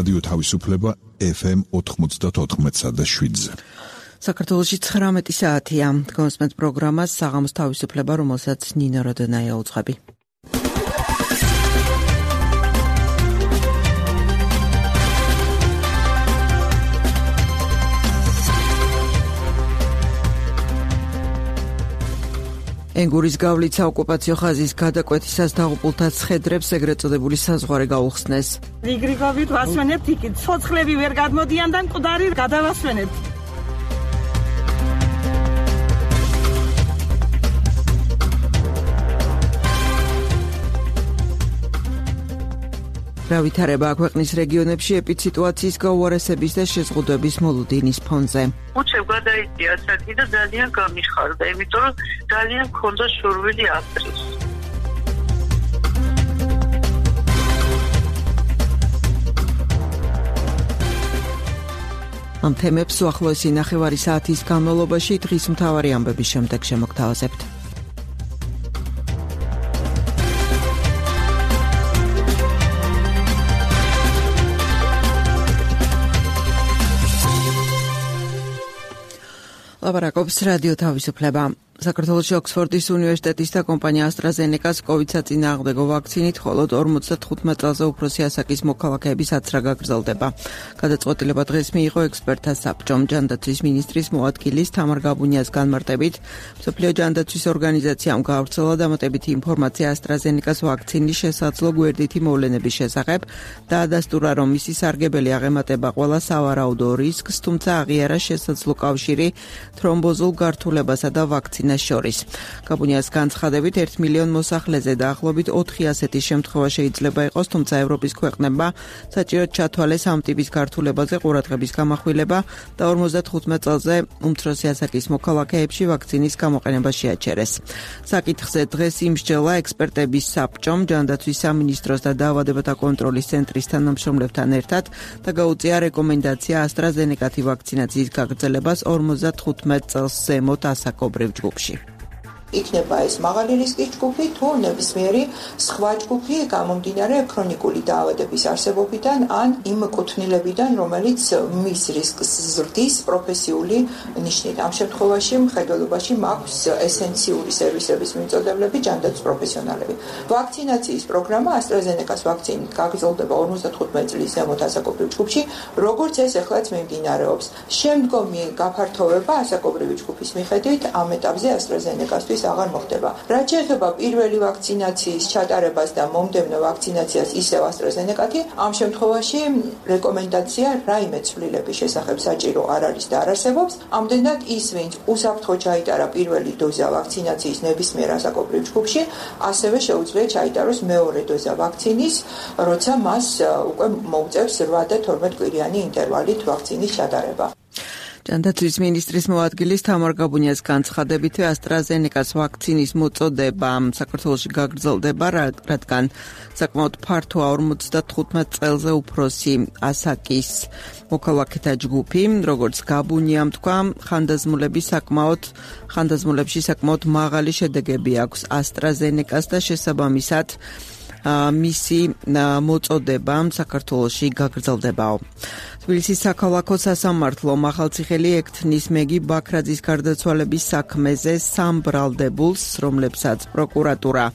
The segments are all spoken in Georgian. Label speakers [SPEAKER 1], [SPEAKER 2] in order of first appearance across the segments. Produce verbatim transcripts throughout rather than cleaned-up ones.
[SPEAKER 1] რადიო თავისუფლება ეფ ემ ოთხმოცდაოთხ და შვიდზე.
[SPEAKER 2] საქართველოში ცხრამეტი საათია. გონსმენთ პროგრამას საღამოს თავისუფლება, რომელსაც ნინო როდონაია უძღვები. ენგურის გავლით საოკუპაციო ხაზის გადაკვეთისას დაღუპულთა ცხედრებს ეგრეთ წოდებული საზღვარი გაუხსნეს.
[SPEAKER 3] რიგრიგობით ვასვენებთ იქით, ცოცხლები ვერ გადმოდიან და მკვდარი გადავასვენებთ.
[SPEAKER 2] რა ვითარება ქვეყნის რეგიონებში ეპიდსიტუაციის გაუარესების და შეზღუდვების მოლოდინის ფონზე.
[SPEAKER 4] უჩევ გადაიწია ასაკი და ძალიან გამიხარდა, იმიტომ რომ ძალიან მქონდა შორვილი აპრილს.
[SPEAKER 2] ამ თემებს უახლოესი ნახევარი საათის განმავლობაში დღის მთავარი ამბების შემდეგ შემოგთავაზებთ. ლაპარაკობს რადიო თავისუფლება. საქართველოში ოქსფორდის უნივერსიტეტის და კომპანია AstraZeneca-ს კოვიდ საწინააღმდეგო ვაქცინით მხოლოდ ორმოცდათხუთმეტ წელზე უფროსი ასაკის მოქალაქეების აცრა გაგრძელდება. გადაწყვეტილება დღეს მიიღო ექსპერტთა საბჭომ. ჯანდაცვის მინისტრის მოადგილის თამარ გაბუნიას განმარტებით, მსოფლიო ჯანდაცვის ორგანიზაციამ გაავრცელა დამატებითი ინფორმაცია AstraZeneca-ს ვაქცინის შესაძლო გვერდითი მოვლენების შესახებ და ადასტურა, რომ მისი სარგებელი აღემატება ყველა სავარაუდო რისკს, თუმცა აღიარა შესაძლო კავშირი თრომბოზულ გართულებასა და ვაქცინას შორის. გაბუნიას განცხადებით, ერთ მილიონ მოსახლეზე დაახლოებით ოთხი ასეთი შემთხვევა შეიძლება იყოს, თუმცა ევროპის ქვეყნებმა საჭიროდ ჩათვალეს ამ ტიპის გართულებაზე ყურადღების გამახვილება და ორმოცდათხუთმეტ წელზე უმცროსი ასაკის მოქალაქეებში ვაქცინის გამოყენება შეაჩერეს. საკითხზე დღეს იმსჯელა ექსპერტების საბჭომ, ჯანდაცვის სამინისტროს და დაავადებათა კონტროლის ცენტრის თანამშრომლებთან ერთად და გაუწია რეკომენდაცია AstraZeneca-ი ვაქცინაციის გაგრძელებას ორმოცდათხუთმეტ წელს ზემოთ ასაკობრივ ჯგუფში.
[SPEAKER 5] იქნება ეს მაღალი რისკის ჯგუფი თუ ნებისმიერი სხვა ჯგუფი გამომდინარე ქრონიკული დაავადების არსებობიდან ან იმ კუთვნილებიდან, რომელიც მის რისკს ზრდის პროფესიული ნიშნით. ამ შემთხვევაში მხედველობაში მაქვს ესენციური სერვისების მიმწოდებლები, ჯანდაცვის პროფესიონალები. ვაქცინაციის პროგრამა AstraZeneca-ს ვაქცინით გაგრძელდება ორმოცდათხუთმეტ წლის ზემოთ ასაკობრივ ჯგუფში, როგორც ეს ეხლაც მიმდინარეობს. შემდგომი გაფართოვება ასაკობრივი ჯგუფის მიხედვით ამ ეტაპზე AstraZeneca-ს აღარ მოხდება. რაც შეეხება პირველი ვაქცინაციის ჩატარებას და მომდევნო ვაქცინაციას ისევ AstraZeneca-ი, ამ შემთხვევაში რეკომენდაცია რაიმე ცვლილების შესახებ საჭირო არ არის და არ არსებობს. ამდენად ის, ვინც უსაფრთხო ჩაიტარა პირველი დოზა ვაქცინაციის ნებისმიერ ასაკობრივ ჯგუფში, ასევე შეუძლია ჩაიტაროს მეორე დოზა ვაქცინის, როცა მას უკვე მოუწევს რვა და თორმეტ კვირიანი ინტერვალით ვაქცინის ჩატარება.
[SPEAKER 2] ჯანდაცვის მინისტრის მოადგილის თამარ გაბუნიას განცხადებით, AstraZeneca-ს ვაქცინის მოწოდება საქართველოში გაგრძელდება, რადგან საკმაოდ ფართოა ორმოცდათხუთმეტ წელზე უფროსი ასაკის მოქალაქეთა ჯგუფი. როგორც გაბუნიამ თქვა, ხანდაზმულები საკმაოდ ხანდაზმულებში საკმაოდ მაღალი შედეგები აქვს AstraZeneca-ს და შესაბამისად მისი მოწოდება საქართველოში გაგრძელდებაო. თბილისის საქალაქო სასამართლო ახალციხელი ექთნის მეგი ბაქრაძის გარდაცვალების საქმეზე სამ ბრალდებულს, რომლებსაც პროკურატურა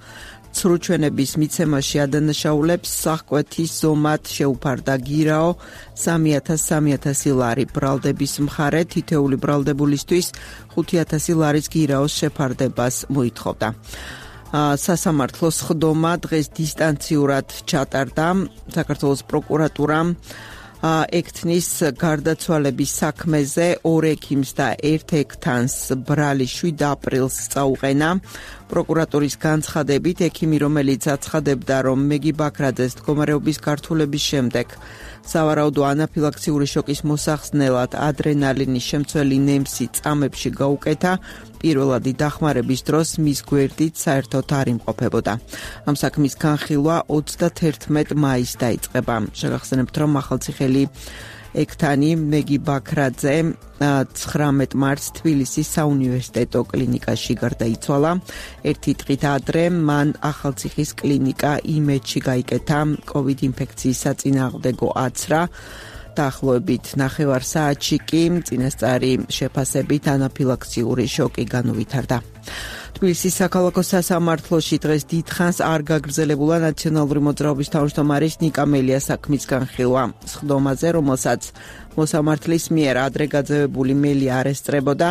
[SPEAKER 2] ცრუჩვენების მიცემაში ადანაშაულებს, სახკვეთის ზომად შეუფარდა გირაო სამი ათას სამი ათასი ლარი. ბრალდების მხარე თითეული ბრალდებულისთვის ხუთი ათასი ლარის გირაოს შეფარდებას მოითხოვდა. სასამართლოს ხდომა დღეს დისტანციურად ჩატარდა. საქართველოს პროკურატურამ ექთნის გარდაცვალების საქმეზე ორ ექიმს და ერთ ექთანს ბრალი შვიდ აპრილს წაუყენა. პროკურატურის განცხადებით, ექიმი, რომელიც აცხადებდა, რომ მეგი ბაქრაძეს მდგომარეობის გართულების შემდეგ სავარაუდო ანაფილაქსიური შოკის მოსახსნელად ადრენალინის შემცველი ნემსი წამებში გაუკეთა, პირველადი დახმარების დროს მის გვერდით საერთოდ არ იმყოფებოდა. ამ საქმის განხილვა ოცდათერთმეტ მაისს დაიწყება. შეგახსენებთ, რომ ახალციხელი ექთანი მეგი ბაქრაძე ცხრამეტ მარტს თბილისის საუნივერსიტეტო კლინიკაში გარდაიცვალა. ერთი დღით ადრე მან ახალციხის კლინიკა იმედში გაიკეთა კოვიდ ინფექციის საწინააღმდეგო აცრა. დაახლოებით ნახევარ საათში კი წინასწარი შეფასებით ანაფილაქსიური შოკი განუვითარდა. თბილისის საქალაქო სასამართლოში დღეს დიდხანს არ გაგრძელებულა ნაციონალური მოძრაობის თავმჯდომარის ნიკა მელიას საქმის განხილვა. სხდომაზე, რომელსაც მოსამართლის მიერ ადრე გაძევებული მელია არ ესწრებოდა,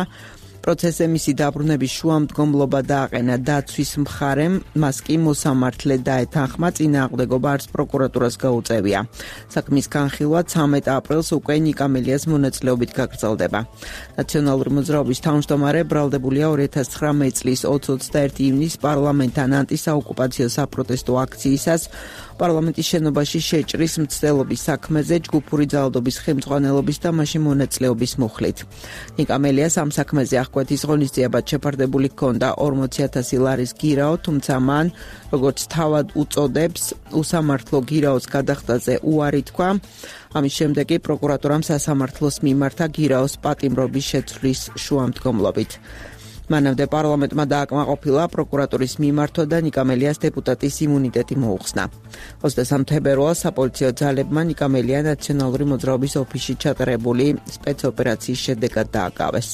[SPEAKER 2] პროცესზე მისი დაბრუნების შუამდგომლობა დააყენა დაცვის მხარემ, მას კი მოსამართლე დაეთანხმა, წინააღმდეგობა არც პროკურატურას გაუწევია. საქმის განხილვა ცამეტ აპრილს უკვე ნიკა მელიას მონაწილეობით გაგრძელდება. ნაციონალური მოძრაობის თავმჯდომარე ბრალდებულია ორი ათას ცხრამეტი წლის ოცდაერთი ივნისს პარლამენტთან ანტისაოკუპაციო საპროტესტო აქციისას პარლამენტის შენობაში შეჭრის მცდელობის საქმეზე ჯგუფური ძალადობის ხელმძღვანელობის და მასში მონაწილეობის მუხლით. ნიკა მელიას ამ საქმეზე აღკვეთის ღონისძიებად შეფარდებული ჰქონდა ორმოცი ათასი ლარის გირაო, თუმცა მან, როგორც თავად უწოდებს, უსამართლო გირაოს გადახდაზე უარი თქვა. ამის შემდეგ კი პროკურატურამ სასამართლოს მიმართა გირაოს პატიმრობის შეცვლის შუამდგომლობით. მანამდე პარლამენტმა დააკმაყოფილა პროკურატურის მიმართვა და ნიკა მელიას დეპუტატის იმუნიტეტი მოუხსნა. ოცდასამი თებერვალს საპოლიციო ძალებმა ნიკა მელია ნაციონალური მოძრაობის ოფისში ჩატარებული სპეცოპერაციის შედეგად დააკავეს.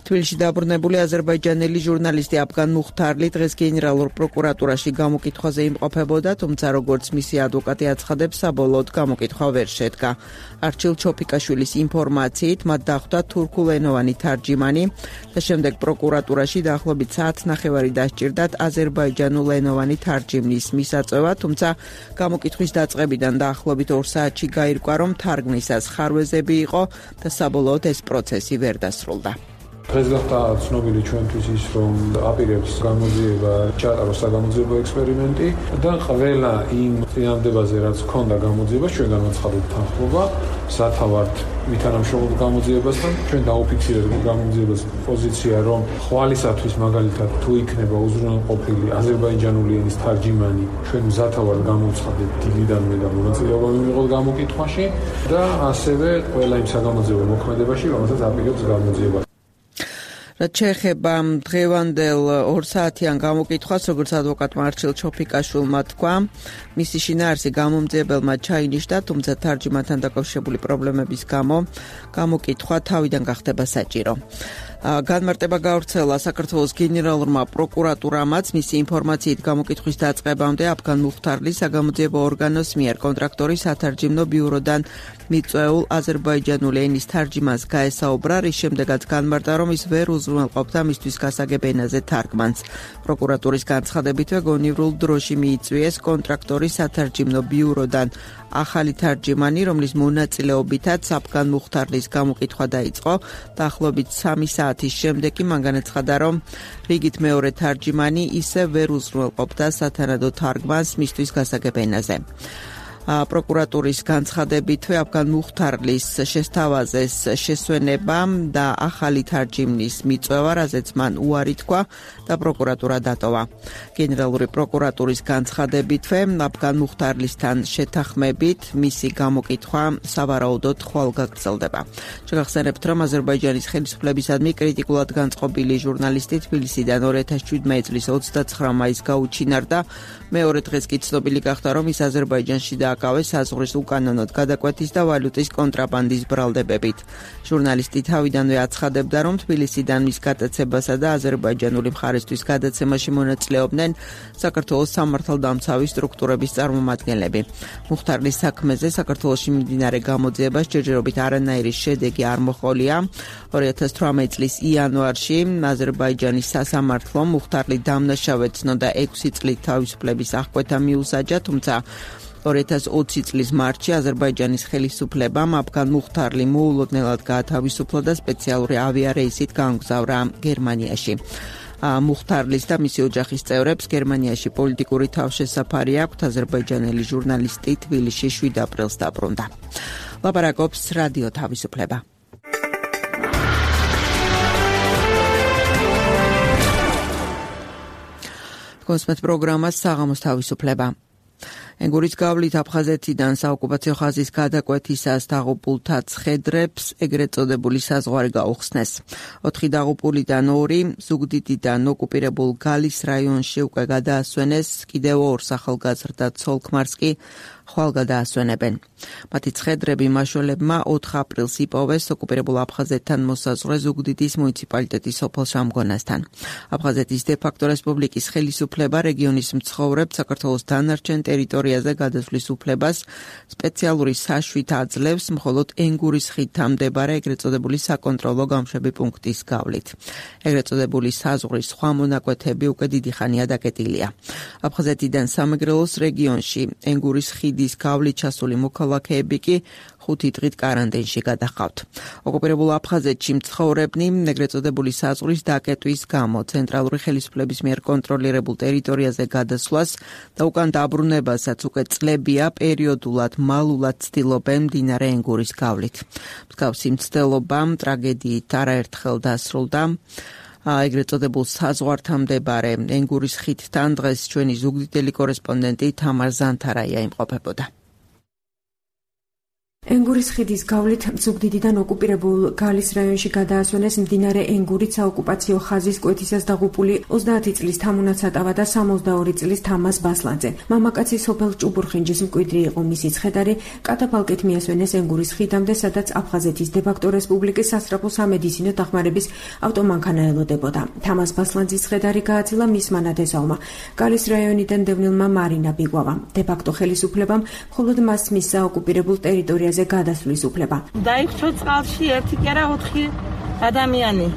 [SPEAKER 2] თბილისში დაბრუნებული აზერბაიჯანელი ჟურნალისტი აფგან მუხთარლი დღეს გენერალურ პროკურატურაში გამოკითხვაზე იმყოფებოდა, თუმცა როგორც მისი ადვოკატი აცხადებს, საბოლოოდ გამოკითხვა ვერ შედგა. არჩილ ჩოფიკაშვილის ინფორმაციით, მათ დახვდა თურქულენოვანი თარჯიმანი და შემდეგ პროკურატურაში დაახლოებით საათნახევარი დასჭირდათ აზერბაიჯანულენოვანი თარჯიმნის მისაწვევა, თუმცა გამოკითხვის დაწყებიდან დაახლოებით ორ საათში გაირკვა, რომ თარგმნისას ხარვეზები იყო და საბოლოოდ ეს პროცესი ვერ დასრულდა.
[SPEAKER 6] დღეს გახდა ცნობილი ჩვენთვის ის, რომ აპირებს გამოძიება ჩაატაროს საგამოძიებო ექსპერიმენტი და ყველა იმ წინამდებაზე, რაც ჰქონდა გამოძიებას, ჩვენ განაცხადეთ თანხმობა სათავართ მითანამშრომლობ გამოძიებასთან. ჩვენ დაუფიქსირეთ გამოძიებას პოზიცია, რომ ხვალისათვის მაგალითად თუ იქნება უზრუნველყოფილი აზერბაიჯანული ენის თარჯიმანი, ჩვენ მზათავართ გამოვცხადეთ დილიდანვე და მონაწილეობა მივიღოთ გამოკითხვაში და ასევე ყველა იმ საგამოძიებო მოქმედებაში, რომელსაც აპირებს გამოძიება.
[SPEAKER 2] რაც შეეხება დღევანდელ ორ საათიან გამოკითხვას, როგორც ადვოკატმა არჩილ ჩოფიკაშვილმა თქვა, მისი შინაარსი გამომძიებელმა ჩაინიშნა, თუმცა თარჯიმანთან დაკავშირებული პრობლემების გამო გამოკითხვა თავიდან გახდება საჭირო. განმარტება გავრცელა საქართველოს გენერალურმა პროკურატურამაც, მისი ინფორმაციით გამოკითხვის დაწყებამდე აფგან მუხთარლის საგამოძიებო ორგანოს მიერ კონტრაქტორის სათარჯიმნო ბიუროდან მიწვეულ აზერბაიჯანული ენის თარჯიმანს გაესაუბრა, რის შემდეგაც განმარტა, რომ ის ვერ უზრუნველყოფდა მისთვის გასაგებ ენაზე თარგმანს. პროკურატურის განცხადებითვე გონივრულ დროში მიიწვიეს კონტრაქტორის სათარჯიმნო ბიუროდან ახალი თარჯიმანი, რომლის მონაწილეობითაც აფგან მუხთარლის გამოკითხვა დაიწყო. დაახლოებით სამი საათის შემდეგ კი მან განაცხადა, რომ რიგით მეორე თარჯიმანი ისე ვერ უზრუნველყოფდა სათანადო თარგმანს მისთვის გასაგებ ენაზე. პროკურატურის განცხადებითვე აფგან მუხთარლის შესთავაზეს შესვენება და ახალი თარჯიმნის მიწვევა, რაზეც მან უარი თქვა და პროკურატურა დატოვა. გენერალური პროკურატურის განცხადებითვე აფგან მუხთარლისთან შეთანხმებით მისი გამოკითხვა სავარაუდოდ ხვალ გაგრძელდება. შეგახსენებთ, რომ აზერბაიჯანის ხელისუფლებისადმი კრიტიკულად განწყობილი ჟურნალისტი თბილისიდან ორი ათას შვიდმეტი წლის ოცდაცხრა მაისს გაუჩინარდა. მეორე დღეს კი ცნობილი გახდა, რომ ის აზერბაიჯანში დააკავეს საზღვრის უკანონოდ გადაკვეთის და ვალუტის კონტრაბანდის ბრალდებებით. ჟურნალისტი თავიდანვე აცხადებდა, რომ თბილისიდან მის გადაცებასა და აზერბაიჯანული მხარისთვის გადაცემაში მონაწილეობდნენ საქართველოს სამართალდამცავი სტრუქტურების წარმომადგენლები. მუხთარლის საქმეზე საქართველოში მიმდინარე გამოძიებას ჯერჯერობით არანაირი შედეგი არ მოჰყოლია. ორი ათას თვრამეტი წლის იანვარში აზერბაიჯანის სასამართლომ მუხთარლი დამნაშავედ ცნოდა ექვსი წლით თავისუფლების აღკვეთა მიუსაჯა, თუმცა ორი ათას ოცი წლის მარტში აზერბაიჯანის ხელისუფლებამ აფგან მუხთარლი მოულოდნელად გაათავისუფლა და სპეციალური ავიარეისით გაამგზავრა გერმანიაში. მუხთარლის და მისი ოჯახის წევრებს გერმანიაში პოლიტიკური თავშესაფარი აქვთ. აზერბაიჯანელი ჟურნალისტი თბილისში შვიდ აპრილს დაბრუნდა. ლაპარაკობს რადიო თავისუფლება. გოსმეთ პროგრამას საღამოს თავისუფლება. ენგურის გავლით აფხაზეთიდან საოკუპაციო ხაზის გადაკვეთისას დაღუპულთა ცხედრებს ეგრეთ წოდებული საზღვარი გაუხსნეს. ოთხი დაღუპულიდან ორი ზუგდიდიდან ოკუპირებულ გალის რაიონში უკვე გადაასვენეს, კიდევ ორ ახალგაზრდა ცოლ-ქმარს კი ხვალ გადაასვენებენ. მათი ცხედრები მაშველებმა ოთხ აპრილს იპოვეს ოკუპირებულ აფხაზეთთან მოსაზღვრე ზუგდიდის მუნიციპალიტეტის სოფელ შამგონასთან. აფხაზეთის დე-ფაქტო რესპუბლიკის ხელისუფლება რეგიონის მცხოვრებს საქართველოს დანარჩენ ტერიტორიაზე გადასვლის უფლებას სპეციალური საშვით აძლევს მხოლოდ ენგურის ხიდთან მდებარე ეგრეთ წოდებული საკონტროლო გამშვები პუნქტის გავლით. ეგრეთ წოდებული საზღვრის სხვა მონაკვეთები უკვე დიდი ხანია დაკეტილია. აფხაზეთიდან სამეგრელოს რეგიონში ენგურის ხიდის გავლით ჩასული მოქალაქეები კი ხუთი დღით კარანტინში გადაჰყავთ. ოკუპირებულ აფხაზეთში მცხოვრებნი ეგრეთ წოდებული საზღვრის დაკეტვის გამო ცენტრალური ხელისუფლების მიერ კონტროლირებულ ტერიტორიაზე გადასვლას და უკან დაბრუნებასაც უკვე წლებია პერიოდულად მალულად ცდილობენ მდინარე ენგურის გავლით. მსგავსი მცდელობა ტრაგედიით არაერთხელ დასრულდა. ეგრეთ წოდებულ საზღვართან მდებარე ენგურის ხიდთან დღეს ჩვენი ზუგდიდელი კორესპონდენტი თამარ ზანთარაია იმყოფებოდა.
[SPEAKER 7] ენგურის ხიდის გავლით ზუგდიდიდან ოკუპირებულ გალის რაიონში გადაასვენეს მდინარე ენგურით საოკუპაციო ხაზის კვეთისას დაღუპული ოცდაათი წლის თამუნა ცატავა და სამოცდაორი წლის თამაზ ბასლაძე. მამაკაცი სოფელ ჭუბურხინჯის მკვიდრი იყო, მისი ცხედარი კატაფალკით მიასვენეს ენგურის ხიდამდე, სადაც აფხაზეთის დე-ფაქტო რესპუბლიკის სასწრაფო სამედიცინო დახმარების ავტომანქანა ელოდებოდა. თამაზ ბასლაძის ცხედარი გააცილა მისმა ნათესავმა, გალის რაიონიდან დევნილმა მარინა ბიგვავამ. დე-ფაქტო ხელისუფლებამ მხოლოდ მას მისცა ოკუპირებულ ტერიტორიაზე გადასვლის უფლება.
[SPEAKER 3] დაიხჩო წყალში ერთი კი არა ოთხი ადამიანი.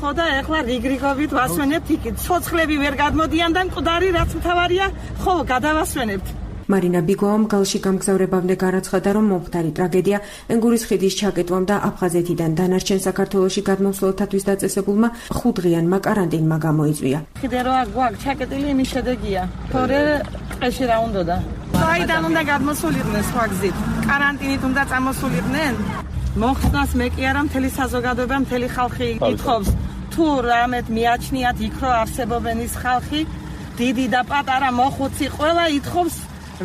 [SPEAKER 3] ხო და ეხლა რიგრიგობით ვასვენებთ იქით. ცოცხლები ვერ გადმოდიან და მკვდარი რაც მთავარია, ხო გადავასვენებთ.
[SPEAKER 7] მარინა ბიგვავამ გალში გამგზავრებამდე განაცხადა, რომ მომხდარი ტრაგედია ენგურის ხიდის ჩაკეტვამ და აფხაზეთიდან დანარჩენ საქართველოში გადმოსვლელთათვის დაწესებულმა ხუთდღიანმა კარანტინმა გამოიწვია.
[SPEAKER 3] ხიდე რა გვაქვს ჩაკეტილი, იმის შედეგია. თორე ტყეში რა უნდოდა? საიდან უნდა გადმოსულიყვნენ სხვა გზით? კარანტინით უნდა წამოსულიყვნენ? მოხსნას მე კი არა, მთელი საზოგადოება, მთელი ხალხი ითხოვს. თუ რამეთ მიაჩნიათ იქ რო არსებობენ ის ხალხი, დიდი და პატარა მოხუცი ყველა ითხოვს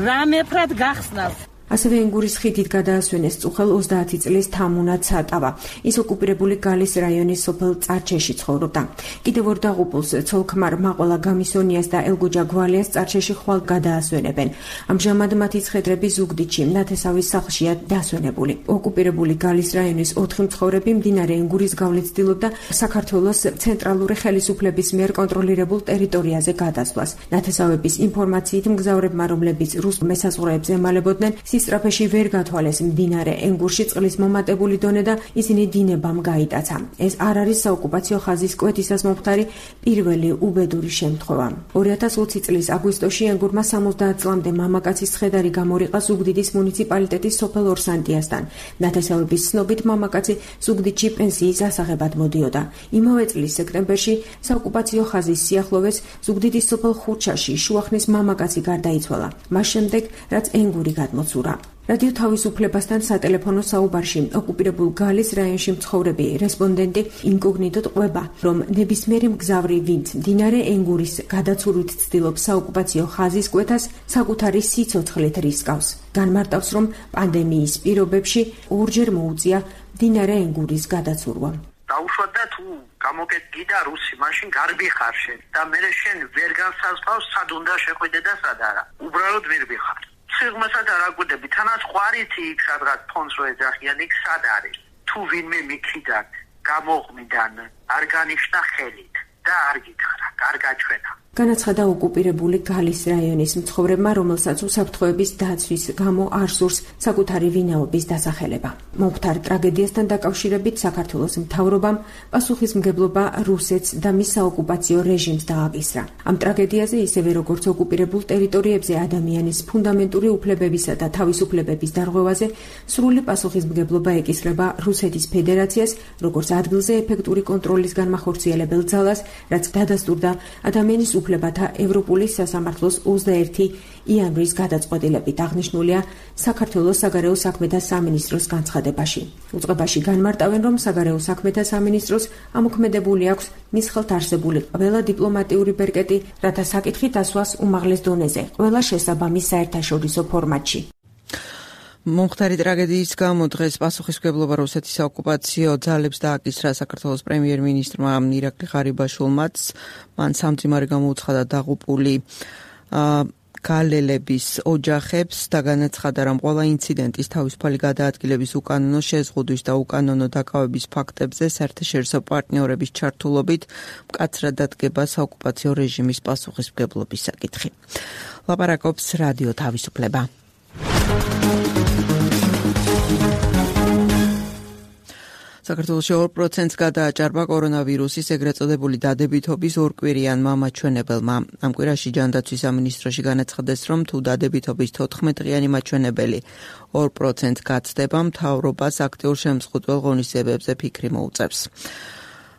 [SPEAKER 3] რამეფრად გახსნას.
[SPEAKER 7] ასევე ენგურის ხიდით გადაასვენეს წუხელ ოცდაათი წლის თამუნა ცატავა. ის ოკუპირებული გალის რაიონის სოფელ წარჩეში ცხოვრობდა. კიდევ ორ დაღუპულს ცოლ-ქმარ მაყოლა გამისონიას და ელგუჯა გვალიას წარჩეში ხვალ გადაასვენებენ. ამჟამად მათი ცხედრები ზუგდიდში ნათესავის სახლშია დასვენებული. ოკუპირებული გალის რაიონის ოთხი მცხოვრები მდინარე ენგურის გავლით ცდილობდა საქართველოს ცენტრალური ხელისუფლების მიერ კონტროლირებულ ტერიტორიაზე გადასვლას. ნათესავების ინფორმაციით მგზავრებმა, რომლებიც რუს მესაზღვრეებს ემალებოდნენ, სისტრაფეში ვერ გათვალეს მდინარე ენგურში წყლის მომატებული დონე და ისინი დინებამ გაიტაცა. ეს არ არის საოკუპაციო ხაზის კვეთისას მომხდარი პირველი უბედური შემთხვევა. ორი ათას ოცი წლის აგვისტოში ენგურმა სამოცდაათ წლამდე მამაკაცის ცხედარი გამორიყა ზუგდიდის მუნიციპალიტეტის სოფელ ორსანტიასთან. ნათესავების ცნობით მამაკაცი ზუგდიდში პენსიის ასაღებად მოდიოდა. იმავე წლის სექტემბერში საოკუპაციო ხაზის სიახლოვეს ზუგდიდის სოფელ ხურჩაში შუახნის მამაკაცი გარდაიცვალა. მას შემდეგ რაც ენგური გადმოცურა. რადიო თავისუფლებასთან სატელეფონო საუბარში ოკუპირებულ გალის რაიონში მცხოვრები რესპონდენტი ინკოგნიტოდ ყვება, რომ ნებისმიერი მგზავრი, ვინც მდინარე ენგურის გადაცურვით ცდილობს საოკუპაციო ხაზის კვეთას, საკუთარი სიცოცხლით რისკავს. განმარტავს, რომ პანდემიის პირობებში ორჯერ მოუწია მდინარე ენგურის გადაცურვა.
[SPEAKER 4] დაუშვათ და თუ გამოკეთდა რუსი, მაშინ გარბიხარ შენ და მე შენ ვერ განსაზღვრავს სად უნდა შეხვიდე და სად არა. უბრალოდ მირბიხარ. სიღმასაც არ აგვიდები, თანაც ყვარითი იქ სადღაც ფონს რო ეძახიან, იქ სად არის? თუ ვინმე მიქიდან გამოღმიდან არ განიშნა ხელით და არ გითხრა, კარგა ჩვენა.
[SPEAKER 7] განაცხადა ოკუპირებული გალის რაიონის მცხოვრებმა, რომელსაც უსაფრთხოების დაცვის გამო არ სურს საკუთარი ვინაობის დასახელება. მომხდარ ტრაგედიასთან დაკავშირებით საქართველოს მთავრობამ პასუხისმგებლობა რუსეთს და მის საოკუპაციო რეჟიმს დააკისრა. ამ ტრაგედიაზე, ისევე როგორც ოკუპირებულ ტერიტორიებზე ადამიანის ფუნდამენტური უფლებებისა და თავისუფლებების დარღვევაზე, სრული პასუხისმგებლობა ეკისრება რუსეთის ფედერაციას, როგორც ადგილზე ეფექტური კონტროლის განმახორციელებელ ძალას რაც დადასტურდა ადამიანის უფლებათა ევროპული სასამართლოს ოცდაერთი იანვრის გადაწყვეტილებით. აღნიშნულია საქართველოს საგარეო საქმეთა სამინისტროს განცხადებაში. უწყებაში განმარტავენ, რომ საგარეო საქმეთა სამინისტროს ამოქმედებული აქვს მის ხელთ არსებული ყველა დიპლომატიური ბერკეტი, რათა საკითხი დასვას უმაღლეს დონეზე, ყველა შესაბამის საერთაშორისო ფორმატში.
[SPEAKER 2] მომხდარი ტრაგედიის გამო დღეს პასუხისმგებლობა რუსეთის საოკუპაციო ძალებს დააკისრა საქართველოს პრემიერ-მინისტრმა ირაკლი ღარიბაშვილმაც. მან სამძიმარი გამოუცხადა დაღუპული გალელების ოჯახებს და განაცხადა, რომ ყველა ინციდენტის თავისუფალი გადაადგილების უკანონო შეზღუდვის და უკანონო დაკავების ფაქტებზე საერთაშორისო პარტნიორების ჩართულობით მკაცრად დადგება საოკუპაციო რეჟიმის პასუხისმგებლობის საკითხი. ლაპარაკობს რადიო თავისუფლება. საქართველოში ორ პროცენტს გადააჭარბა კორონავირუსის ეგრეთ წოდებული დადებითობის ორკვირიანმა მაჩვენებელმა. ამ კვირაში ჯანდაცვის სამინისტროში განაცხადეს, რომ თუ დადებითობის თოთხმეტ-დღიანი მაჩვენებელი ორ პროცენტს გაცდება, მთავრობას აქტიურ შემზღუდველ ღონისძიებებზე ფიქრი მოუწევს.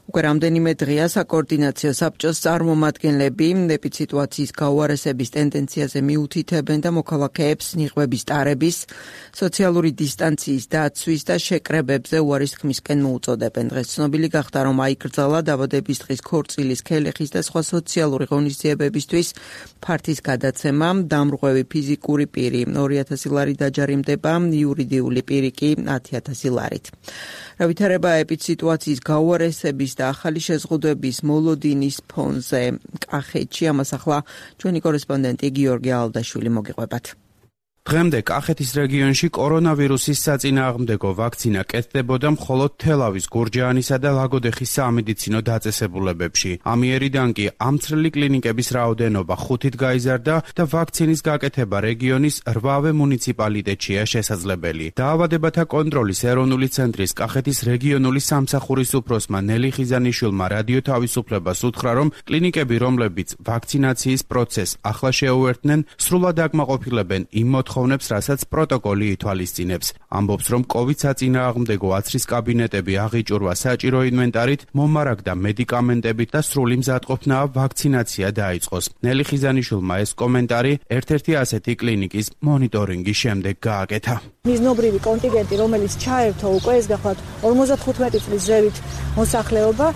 [SPEAKER 2] უკვე რამდენიმე დღეა საკოორდინაციო საბჭოს წარმომადგენლები ეპიდემიის გაუარესების ტენდენციაზე მიუთითებენ და მოქალაქეებს ნიღბების ტარების, სოციალური დისტანციის დაცვის და შეკრებებზე უარის თქმისკენ მოუწოდებენ. დღეს ცნობილი გახდა, რომ აიკრძალა დაბადების დღის ქორწილის, ქელეხის და სხვა სოციალური ღონისძიებებისთვის ფართის გადაცემა. დამრღვევი ფიზიკური პირი ორი ათასი ლარი დაჯარიმდება, იურიდიული პირი კი ათი ათასი ლარით. რა ვითარება ეპიდემიის გაუარესების და ახალი შეზღუდვების მოლოდინის ფონზე კახეთში, ამას ახლა ჩვენი კორესპონდენტი გიორგი ალდაშვილი მოგიყვებათ.
[SPEAKER 8] დღემდე კახეთის რეგიონში კორონავირუსის საწინააღმდეგო ვაქცინა კეთდებოდა მხოლოდ თელავის, გურჯაანისა და ლაგოდეხის სამედიცინო დაწესებულებებში. ამიერიდან კი ამცრელი კლინიკების რაოდენობა ხუთით გაიზარდა და ვაქცინის გაკეთება რეგიონის რვავე მუნიციპალიტეტშია შესაძლებელი. დაავადებათა კონტროლის ეროვნული ცენტრის კახეთის რეგიონული სამსახურის უფროსმა ნელი ხიზანიშვილმა რადიო თავისუფლებას უთხრა, რომ კლინიკები, რომლებიც ვაქცინაციის პროცესს ახლა შეუერთდნენ, სრულად აკმაყოფილებენ იმ მოთხოვნებს, რასაც პროტოკოლი ითვალისწინებს. ამბობს, რომ კოვიდ საწინააღმდეგო აცრის კაბინეტები აღიჭურვა საჭირო ინვენტარით, მომარაგდა მედიკამენტებით და სრული მზადყოფნა ვაქცინაცია დაიწყოს. ნელი ხიზანიშვილმა ეს კომენტარი ერთ-ერთი ასეთი კლინიკის მონიტორინგის შემდეგ გააკეთა.
[SPEAKER 9] მიზნობრივი კონტინგენტი, რომელიც ჩაერთო უკვე ეს გახლავთ ორმოცდახუთმეტი წლის ზევით მოსახლეობა,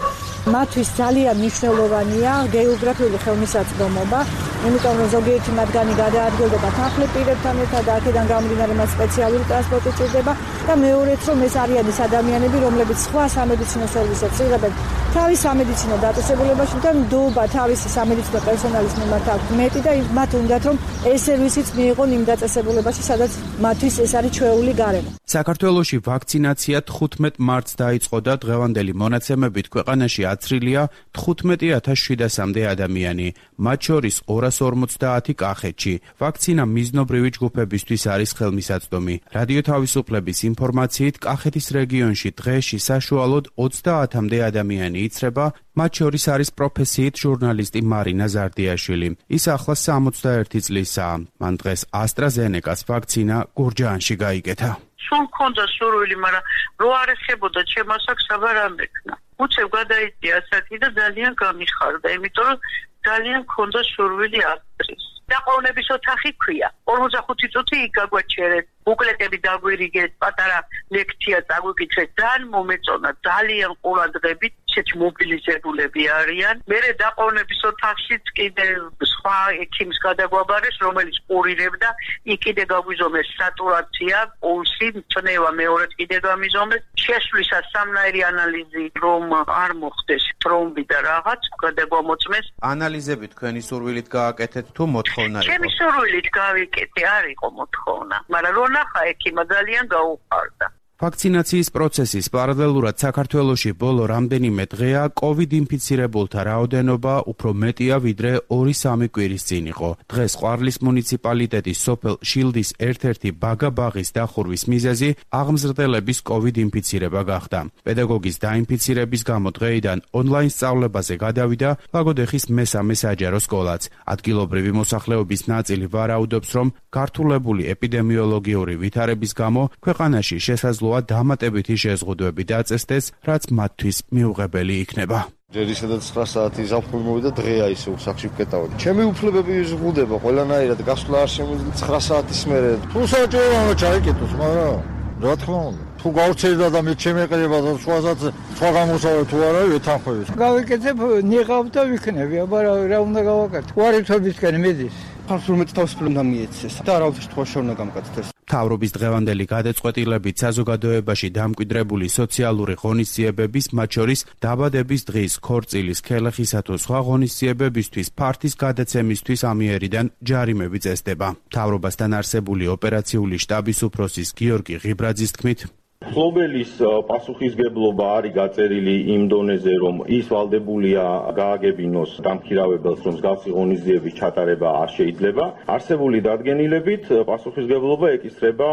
[SPEAKER 9] მათთვის ძალიან მნიშვნელოვანია გეოგრაფიული ხელმისაწვდომობა, იმიტომ რომ ზოგიერთი მათგანი გადაადგილდება თანხმდ პირებთან ერთად და აქედან გამომდინარე მათ სპეციალური ტრანსპორტი ჭირდება და მეორეც რომ ეს არიან ის ადამიანები, რომლებიც სხვა სამედიცინო სერვისებს იღებენ თავის სამედიცინო დაწესებულებაში და ნდობა თავისი სამედიცინო პერსონალის მიმართ აქვს მეტი და მათ უნდათ რომ ეს სერვისიც მიიღონ იმ დაწესებულებაში, სადაც მათთვის ეს არის ჩვეული გარემო.
[SPEAKER 8] საქართველოში ვაქცინაცია თხუთმეტ მარტს დაიწყო და დღევანდელი მონაცემებით ქვეყანაში აცრილია თხუთმეტი ათას შვიდასამდე ადამიანი, მათ შორის ორას ორმოცდაათი კახეთში. ვაქცინა მიზნობრივი ჯგუფებისთვის არის ხელმისაწვდომი. რადიო თავისუფლების ინფორმაციით, კახეთის რეგიონში დღეში საშუალოდ ოცდაათამდე ადამიანი იცრება, მათ შორის არის პროფესიით ჟურნალისტი მარინა ზარდიაშვილი. ის ახლა სამოცდაერთი წლისაა. მან დღეს AstraZeneca-ს ვაქცინა გურჯაანში გაიგეთა.
[SPEAKER 4] სულ მქონდა სურვილი, მაგრამ რო არ ეხებოდა ჩემს აქ საბარ არ მექნა. უცებ გადაიწია ასაკი და ძალიან გამიხარდა, იმიტომ რომ ძალიან მქონდა სურვილი აცრის. დაყოვნების ოთახი ქვია. ორმოცდახუთი წუთი იქ გაგვაჩერეთ. ბუკლეტები დაგვირიგეთ, პატარა ლექცია დაგვიკითხეთ, ძალიან მომეწონა, ძალიან ყურადღებით, ისეთი მობილიზებულები არიან. მერე დაყოვნების ოთახშიც კიდე სხვა ექიმს გადაგვაბარეს, რომელიც ყურირებდა, იქ კიდე გაგვიზომეს სატურაცია, პულსი, წნევა მეორედ კიდე გამიზომეს. შესვლისას სამნაირი ანალიზი რომ არ მოხდეს ტრომბი და რაღაც გადაგვამოწმეს.
[SPEAKER 8] ანალიზები თქვენი სურვილით გააკეთეთ თუ მოთხოვნა იყო?
[SPEAKER 4] ჩემი სურვილით გავიკეთე, არ იყო მოთხოვნა, მაგრამ რო ნახა ექიმა ძალიან გაუხარდა.
[SPEAKER 8] ვაქცინაციის პროცესის პარალელურად საქართველოში ბოლო რამდენიმე დღეა კოვიდ ინფიცირებულთა რაოდენობა უფრო მეტია ვიდრე ორი სამი კვირის წინ იყო. დღეს ყვარლის მუნიციპალიტეტის სოფელ შილდის ერთ-ერთი ბაგაბაღის დახურვის მიზეზი აღმზრდელების კოვიდ ინფიცირება გახდა. პედაგოგის დაინფიცირების გამო დღეიდან ონლაინ სწავლებაზე გადავიდა ლაგოდეხის მესამე საჯარო სკოლაც. ადგილობრივი მოსახლეობის ნაწილი ვარაუდობს, რომ გართულებული ეპიდემიოლოგიური ვითარების გამო ქვეყანაში შესაძლოა დამატებითი შეზღუდვები დაწესდეს, რაც მათთვის მიუღებელი იქნება.
[SPEAKER 10] ჯერ ისედაც ცხრა საათი ზაფხული მოვიდა, დღეა ისე უსახში ვკეტავდი. ჩემი უფლებები ზღუდება ყველანაირად, გასვლა არ შემიძლია ცხრა საათის მერე. თუ საჭიროა ჩაიკეტოს, მაგრამ რა თქმა უნდა, თუ გავწერდა და მე შემეყრება და სხვასაც სხვა გამოსავალი თუ არა, ვეთანხმები.
[SPEAKER 11] გავიკეთებ, ნიღავ და ვიქნები, აბა რა უნდა გავაკეთო? უარითობისკენ მიდის. ხარსულ მეტ თავისუფლად უნდა მიეცეს და არავის შემთხვევაში უნდა გამკაცდეს.
[SPEAKER 8] მთავრობის დღევანდელი გადაწყვეტილებით საზოგადოებაში დამკვიდრებული სოციალური ღონისძიებების, მათ შორის დაბადების დღის, ქორწილის, ქელეხისა თუ სხვა ღონისძიებებისთვის ფართის გადაცემისთვის ამიერიდან ჯარიმები წესდება. მთავრობასთან არსებული ოპერაციული შტაბის უფროსის გიორგი ღიბრაძის თქმით,
[SPEAKER 12] მფლობელის პასუხისგებლობა არის გაწერილი იმ დონეზე, რომ ის ვალდებულია გააგებინოს დამქირავებელს, რომ მსგავსი ღონისძიების ჩატარება არ შეიძლება. არსებული დადგენილებით პასუხისგებლობა ეკისრება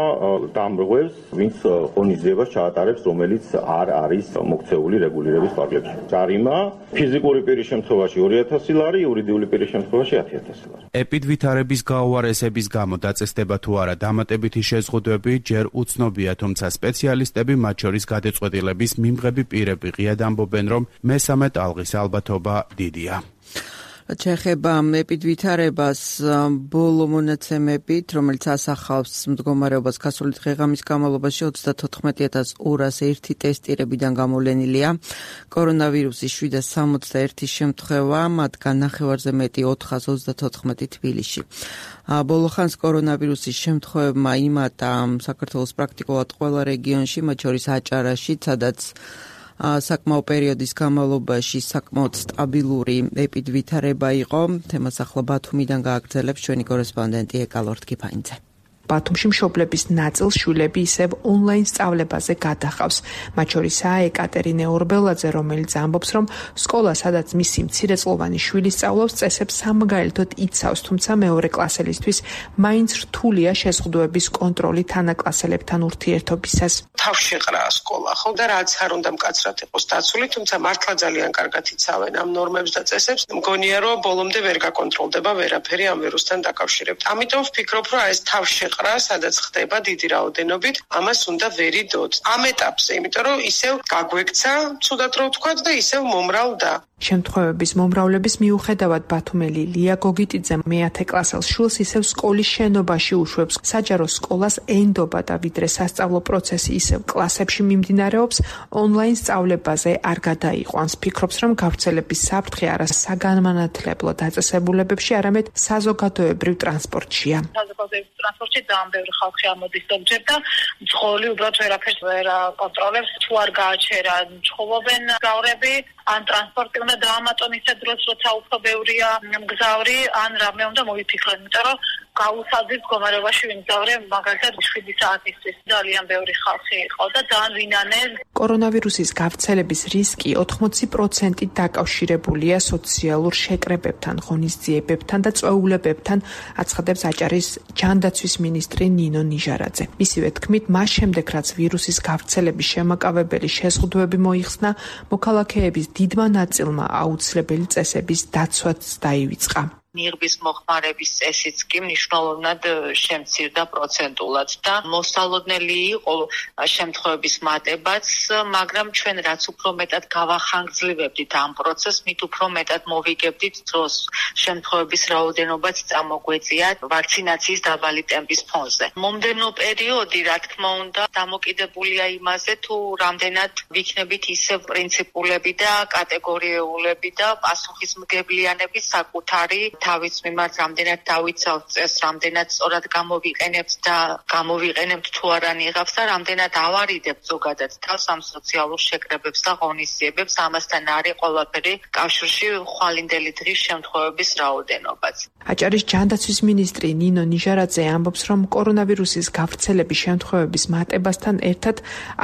[SPEAKER 12] დამრღვევს, ვინც ღონისძიებას ჩაატარებს, რომელიც არ არის მოქცეული რეგულირების ფარგლებში. ჯარიმა ფიზიკური პირის შემთხვევაში ორი ათასი ლარი, იურიდიული პირის შემთხვევაში ათი ათასი ლარი.
[SPEAKER 8] ეპიდვითარების გაუარესების გამო დაწესდება თუ არა დამატებითი შეზღუდვები, ჯერ უცნობია, თუმცა სპეციალისტები მათ შორის გადაწყვეტილების მიმღები პირები ღიად ამბობენ, რომ მესამე ტალღის ალბათობა დიდია.
[SPEAKER 2] ჩეხება ეპიდვითარებას ბოლო მონაცემებით, რომელიც ასახავს მდგომარეობას გასული დღე-ღამის განმავლობაში ოცდათოთხმეტი ათას ორას ერთი ტესტირებიდან გამოვლენილია. კორონავირუსის შვიდას სამოცდაერთი შემთხვევა, მათგან ნახევარზე მეტი ოთხას ოცდათოთხმეტი თბილისში. ბოლო ხანს კორონავირუსის შემთხვევებმა იმატა საქართველოს პრაქტიკულად ყველა რეგიონში, მათ შორის აჭარაში, სადაც საკმაო პერიოდის განმავლობაში საკმაოდ სტაბილური ეპიდვითარება იყო. თემას ახლა ბათუმიდან გააგრძელებს ჩვენი კორესპონდენტი ეკალორთ კიფაინძე.
[SPEAKER 13] ბათუმში მშობლების ნაწილს შვილები ისევ ონლაინ სწავლებაზე გადახავს. მათ შორისაა ეკატერინე ორბელაძე, რომელიც ამბობს, რომ სკოლა, სადაც მისი მცირეწლოვანი შვილი სწავლობს, წესებს სამგაელთოდ იცავს, თუმცა მეორე კლასელისთვის მაინც რთულია შეზღუდვების კონტროლი თანაკლასელებთან ურთიერთობისას.
[SPEAKER 14] თავშეყრა სკოლა, ხო და რაც არ უნდა მკაცრად იყოს დაცული, თუმცა მართლა ძალიან კარგად იცავენ ამ ნორმებს და წესებს. მგონია, რომ ბოლომდე ვერ გაკონტროლდება ვერაფერი ამ ვირუსთან დაკავშირებით. ამიტომ ვფიქრობ, რომ ეს თავშეყრა სადაც ხდება დიდი რაოდენობით, ამას უნდა ვერიდოთ. ამ ეტაპზე, იმიტომ რომ ისევ გაგვექცა, ცუდად რო ვთქვათ და ისევ მომრავლდა.
[SPEAKER 13] შემთხვევების მომრავლების მიუხედავად ბათუმელი ლია გოგიტიძე მეათე კლასელს შვილს ისევ სკოლის შენობაში უშვებს. საჯარო სკოლას ენდობა და ვიდრე სასწავლო პროცესი ისევ კლასებში მიმდინარეობს, ონლაინ სწავლებაზე არ გადაიყვანს. ფიქრობს, რომ გავრცელების საფრთხე არა საგანმანათლებლო დაწესებულებებში, არამედ საზოგადოებრივ ტრანსპორტშია.
[SPEAKER 15] საზოგადოებრივ ტრანსპორტში ძალიან ბევრი ხალხი ამოდის ზოგჯერ და მძღოლი უბრალოდ ვერაფერს ვერ აკონტროლებს. თუ არ გააჩერა ჩხუბობენ გზავრები, ან ტრანსპორტი უნდა დაამატონ ისე დროს, როცა უფრო ბევრია მგზავრი, ან რამე უნდა მოიფიქრონ, იმიტომ რომ გაუსაძის მდგომარეობაში ვიმგზავრე, მაგალითად შვიდი საათისთვის ძალიან ბევრი ხალხი იყო და ძალიან ვინანეს.
[SPEAKER 13] კორონავირუსის გავრცელების რისკი ოთხმოცი პროცენტით დაკავშირებულია სოციალურ შეკრებებთან, ღონისძიებებთან და წვეულებებთან, აცხადებს აჭარის ჯანდაცვის მინისტრი ნინო ნიჟარაძე. მისივე თქმით, მას შემდეგ, რაც ვირუსის გავრცელების შემაკავებელი შეზღუდვები მოიხსნა, მოქალაქეების დიდმა ნაწილმა აუცილებელი წესების დაცვაც დაივიწყა.
[SPEAKER 15] ნიღბის მოხმარების წესიც კი მნიშვნელოვნად შემცირდა პროცენტულად და მოსალოდნელი იყო შემთხვევების მატებაც, მაგრამ ჩვენ რაც უფრო მეტად გავახანგრძლივებდით ამ პროცესს, მით უფრო მეტად მოვიგებდით დროს შემთხვევების რაოდენობაც წამოგვეწია ვაქცინაციის დაბალი ტემპის ფონზე. მომდევნო პერიოდი, რა თქმა უნდა, დამოკიდებულია იმაზე, თუ რამდენად ვიქნებით ისევ პრინციპულები და კატეგორიულები და პასუხისმგებლიანები საკუთარი თავის მიმართ რამდენად დავიცავთ წესს, რამდენად სწორად გამოვიყენებთ და გამოვიყენებთ თუ არა ნიღავს და რამდენად ავარიდებთ ზოგადად თავს ამ სოციალურ შეკრებებს და ღონისძიებებს, ამასთან არის ყველაფერი კავშირში ხვალინდელი დღის შემთხვევების რაოდენობაც.
[SPEAKER 13] აჭარის ჯანდაცვის მინისტრი ნინო ნიჟარაძე ამბობს, რომ კორონავირუსის გავრცელების შემთხვევების მატებასთან ერთად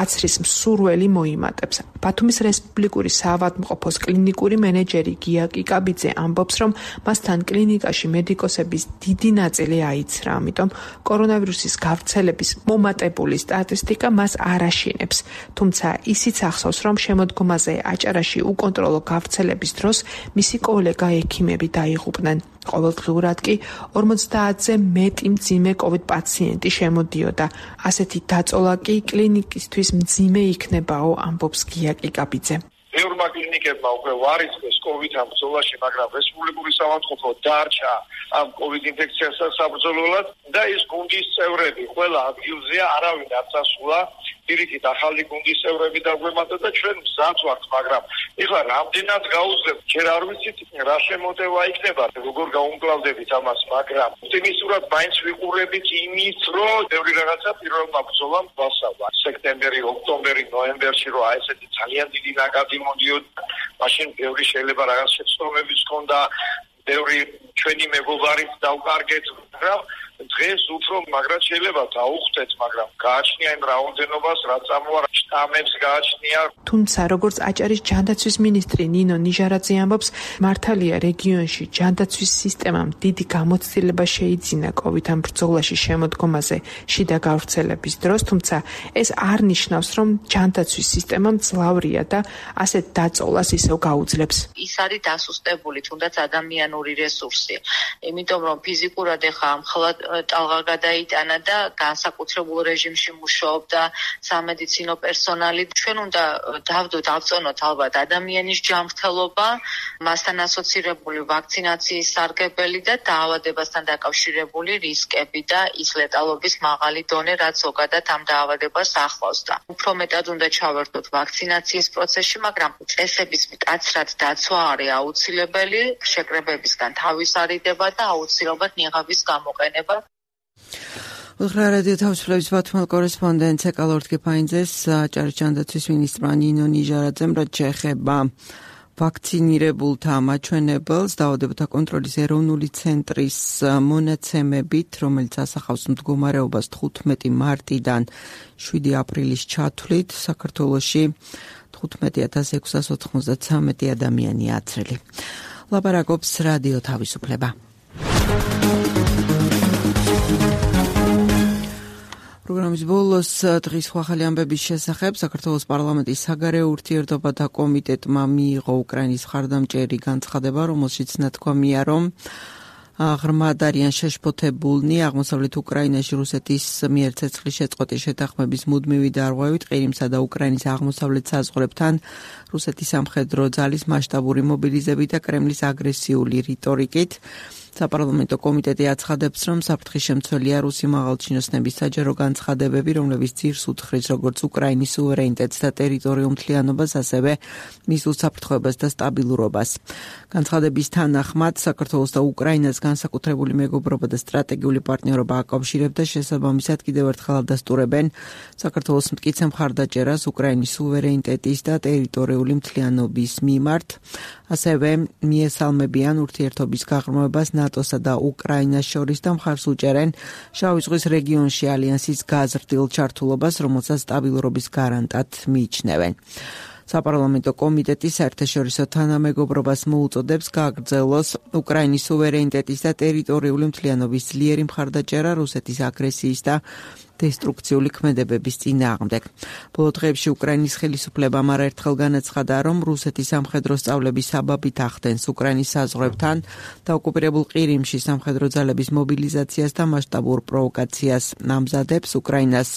[SPEAKER 13] აცრის მსურველი მოიმატებს. ბათუმის რესპუბლიკური საავადმყოფოს კლინიკური მენეჯერი გია კიკაბიძე ამბობს, რომ მასთან კლინიკაში მედიკოსების დიდი ნაწილი აიცრა, ამიტომ კორონავირუსის გავრცელების მომატებული სტატისტიკა მას არ აშინებს. თუმცა ისიც ახსოვს, რომ შემოდგომაზე აჭარაში უკონტროლო გავრცელების დროს მისი კოლეგა ექიმები დაიღუპნენ. ყოველდღიურად კი ორმოცდაათზე მეტი მძიმე კოვიდ პაციენტი შემოდიოდა. ასეთი დაწოლა კი კლინიკისთვის მძიმე იქნებაო, ამბობს გია კიკაბიძე.
[SPEAKER 16] ბევრმა კლინიკებმა უკვე ვარისკეს კოვიდთან ბრძოლაში, მაგრამ რესპუბლიკური საავადმყოფო დარჩა ამ კოვიდ ინფექციასთან საბრძოლველად და ეს გუნდის წევრები ყველა ადგილზეა, არავინ არ წასულა. პირიქით ახალი გუნდის წევრები დაგვემატა და ჩვენ მზად ვართ, მაგრამ ეხლა რამდენად გაუძლებ, ჯერ არ ვიცით რა შემოტევა იქნება, როგორ გაუმკლავდებით ამას, მაგრამ ოპტიმისტურად მაინც ვიყურებით იმის, რომ ბევრი რაღაცა პირველმა ბრძოლამ გვასწავლა. სექტემბერი, ოქტომბერი, ნოემბერში რო აი ესეთი ძალიან დიდი ნაკადი მოდიოდა, მაშინ ბევრი შეიძლება რაღაც შეცდომებიც ჰქონდა, ბევრი ჩვენი მეგობარიც დავკარგეთ, მაგრამ დღეს უფრო მაგრად შეიძლება დაუხდეთ, მაგრამ გააჩნია იმ რაოდენობას, რაც წამოარა შტამებს გააჩნია.
[SPEAKER 13] თუმცა, როგორც აჭარის ჯანდაცვის მინისტრი ნინო ნიჟარაძე ამბობს, მართალია რეგიონში ჯანდაცვის სისტემამ დიდი გამოცდილება შეიძინა კოვიდთან ბრძოლაში შემოდგომაზე შიდა გავრცელების დროს, თუმცა ეს არ ნიშნავს, რომ ჯანდაცვის სისტემა მძლავრია და ასეთ დაწოლას ისევ გაუძლებს.
[SPEAKER 15] ის არის დასუსტებული, თუნდაც ადამიანური რესურსი, იმიტომ რომ ფიზიკურად ეხა მხოლოდ ტალღა გადაიტანა და განსაკუთრებულ რეჟიმში მუშაობდა სამედიცინო პერსონალი. ჩვენ უნდა დავდოთ, ავწონოთ ალბათ ადამიანის ჯანმრთელობა, მასთან ასოცირებული ვაქცინაციის სარგებელი და დაავადებასთან დაკავშირებული რისკები და ის ლეტალობის მაღალი დონე, რაც ზოგადად ამ დაავადებას ახლავს და უფრო მეტად უნდა ჩავერთოთ ვაქცინაციის პროცესში, მაგრამ წესების მკაცრად დაცვა არის აუცილებელი, შეკრებებისგან თავის არიდება და აუცილებლად ნიღაბის გამოყენება.
[SPEAKER 2] უთხრა რადიო თავისუფლების ბათუმელ კორესპონდენტ ეკალორთ გეფაინძეს აჭარის ჯანდაცვის მინისტრმა ნინო ნიჟარაძემ რაც შეეხება ვაქცინირებულთა მაჩვენებელს დაავადებათა კონტროლის ეროვნული ცენტრის მონაცემებით, რომელიც ასახავს მდგომარეობას თხუთმეტი მარტიდან შვიდი აპრილის ჩათვლით, საქართველოში თხუთმეტი ათას ექვსას ოთხმოცდათსამეტი ადამიანია აცრილი. ლაპარაკობს რადიო თავისუფლება. პროგრამის ბოლოს დღის ახალი ამბების შესახებ საქართველოს პარლამენტის საგარეო ურთიერთობათა კომიტეტმა მიიღო უკრაინის მხარდამჭერი განცხადება, რომელშიც ნათქვამია, რომ ღრმად არიან შეშფოთებულნი აღმოსავლეთ უკრაინაში რუსეთის მიერ ცეცხლის შეწყვეტის შეთანხმების მუდმივი დარღვევით, ყირიმსა და უკრაინის აღმოსავლეთ საზღვრებთან რუსეთის სამხედრო ძალის მასშტაბური მობილიზებით და კრემლის აგრესიული რიტორიკით. საპარლამენტო კომიტეტი აცხადებს, რომ საფრთხის შემცველია რუსი მაღალჩინოსნების საჯარო განცხადებები, რომლებიც ძირს უთხრის როგორც უკრაინის სუვერენიტეტს და ტერიტორიულ მთლიანობას, ასევე მის უსაფრთხოებას და სტაბილურობას. განცხადების თანახმად, საქართველოს და უკრაინას განსაკუთრებული მეგობრობა და სტრატეგიული პარტნიორობა აკავშირებდა, შესაბამისად კიდევ ერთხელ ადასტურებენ საქართველოს მტკიცე მხარდაჭერას უკრაინის სუვერენიტეტის და ტერიტორიული მთლიანობის მიმართ, ასევე მიესალმებიან ურთიერთობის გაღრმავებას ნატოსა და უკრაინას შორის და მხარს უჭერენ შავი ზღვის რეგიონში ალიანსის გაზრდილ ჩართულობას, რომელსაც სტაბილურობის გარანტად მიიჩნევენ. საპარლამენტო კომიტეტი საერთაშორისო თანამეგობრობას მოუწოდებს გააგრძელოს უკრაინის სუვერენიტეტის და ტერიტორიული მთლიანობის ძლიერი მხარდაჭერა რუსეთის აგრესიის და დესტრუქციული ქმედებების წინააღმდეგ. ბოლო დღეებში უკრაინის ხელისუფლებამ არაერთხელ განაცხადა, რომ რუსეთის სამხედრო სწავლების საბაბით ახდენს უკრაინის საზღვრებთან და ოკუპირებულ ყირიმში სამხედრო ძალების მობილიზაციას და მასშტაბურ პროვოკაციას ამზადებს. უკრაინას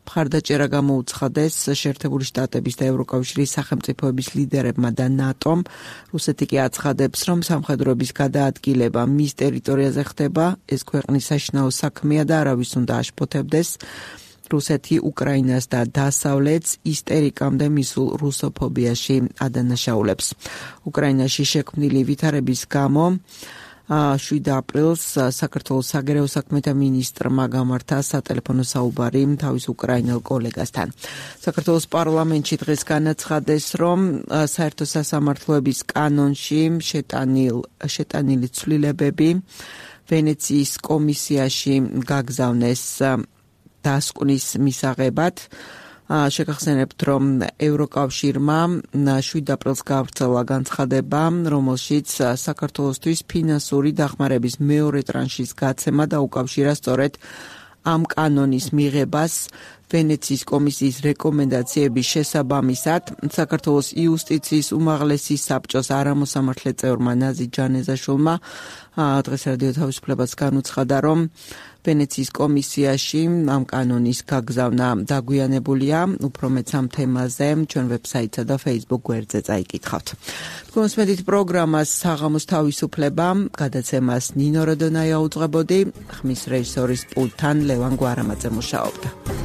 [SPEAKER 2] მხარდაჭერა გამოუცხადეს შეერთებული შტატების და ევროკავშირის სახელმწიფოების ლიდერებმა და ნატომ. რუსეთი კი აცხადებს, რომ სამხედროების გადაადგილება მის ტერიტორიაზე ხდება, ეს ქვეყნის საშინაო საქმეა და არავის უნდა აშფოთებდეს. რუსეთი უკრაინას და დასავლეთს ისტერიკამდე მისულ რუსოფობიაში ადანაშაულებს. უკრაინაში შექმნილი ვითარების გამო შვიდი აპრილს საქართველოს საგარეო საქმეთა მინისტრმა გამართა სატელეფონო საუბარი თავის უკრაინელ კოლეგასთან. საქართველოს პარლამენტში დღეს განაცხადეს, რომ საერთო სასამართლოების კანონში შეტანილ შეტანილი ცვლილებები ვენეციის კომისიაში გაგზავნეს დასკვნის მისაღებად. შეგახსენებთ, რომ ევროკავშირმა შვიდი აპრილს გაავრცელა განცხადება, რომელშიც საქართველოსთვის ფინანსური დახმარების მეორე ტრანშის გაცემა და უკავშირა სწორედ ამ კანონის მიღებას ვენეციის კომისიის რეკომენდაციების შესაბამისად საქართველოს იუსტიციის უმაღლესი საბჭოს არამოსამართლე წევრმა ნაზი ჯანეზაშვილმა დღეს რადიო თავისუფლებას განუცხადა, რომ ვენეციის კომისიაში ამ კანონის გაგზავნა დაგვიანებულია. უფრო მეც ამ თემაზე ჩვენ ვებსაიტსა და Facebook გვერდზე წაიკითხავთ. კონსმედით პროგრამას საღამოს თავისუფლება, გადაცემას ნინო როდონაია უძღვებოდი, ხმის რეჟისორის პულტთან ლევან გვარამაძე მუშაობდა.